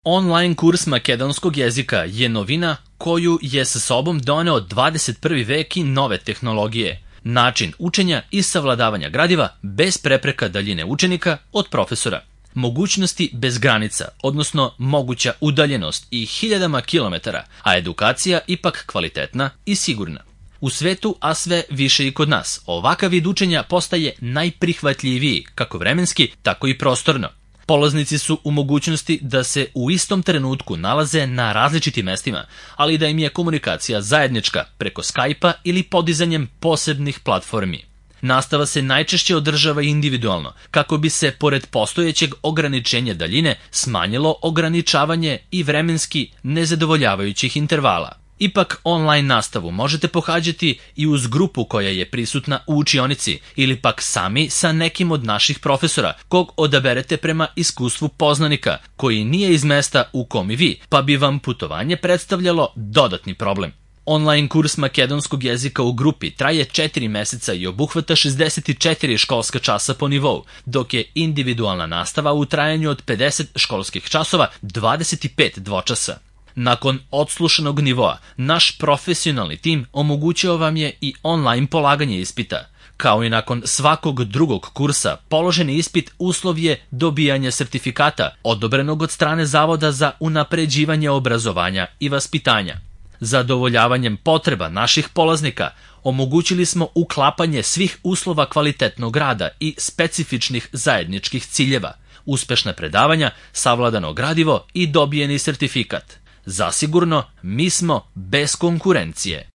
Online kurs makedonskog jezika je novina koju je sa sobom doneo 21. vek i nove tehnologije. Način učenja i savladavanja gradiva bez prepreka daljine učenika od profesora. Mogućnosti bez granica, odnosno moguća udaljenost i hiljadama kilometara, a edukacija ipak kvalitetna i sigurna. U svetu, a sve više i kod nas, ovakav vid učenja postaje najprihvatljiviji, kako vremenski, tako i prostorno. Polaznici su u mogućnosti da se u istom trenutku nalaze na različitim mestima, ali da im je komunikacija zajednička preko Skype-a ili podizanjem posebnih platformi. Nastava se najčešće održava individualno, kako bi se, pored postojećeg ograničenja daljine, smanjilo ograničavanje i vremenski nezadovoljavajućih intervala. Ipak, online nastavu možete pohađati i uz grupu koja je prisutna u učionici ili pak sami sa nekim od naših profesora, kog odaberete prema iskustvu poznanika, koji nije iz mesta u kom i vi, pa bi vam putovanje predstavljalo dodatni problem. Online kurs makedonskog jezika u grupi traje 4 meseca i obuhvata 64 školska časa po nivou, dok je individualna nastava u trajanju od 50 školskih časova 25 dvočasa. Nakon odslušanog nivoa, naš profesionalni tim omogućio vam je i online polaganje ispita. Kao i nakon svakog drugog kursa, položeni ispit uslov je dobijanje sertifikata, odobrenog od strane Zavoda za unapređivanje obrazovanja i vaspitanja. Zadovoljavanjem potreba naših polaznika omogućili smo uklapanje svih uslova kvalitetnog rada i specifičnih zajedničkih ciljeva, uspešna predavanja, savladano gradivo i dobijeni sertifikat. Zasigurno, mi smo bez konkurencije.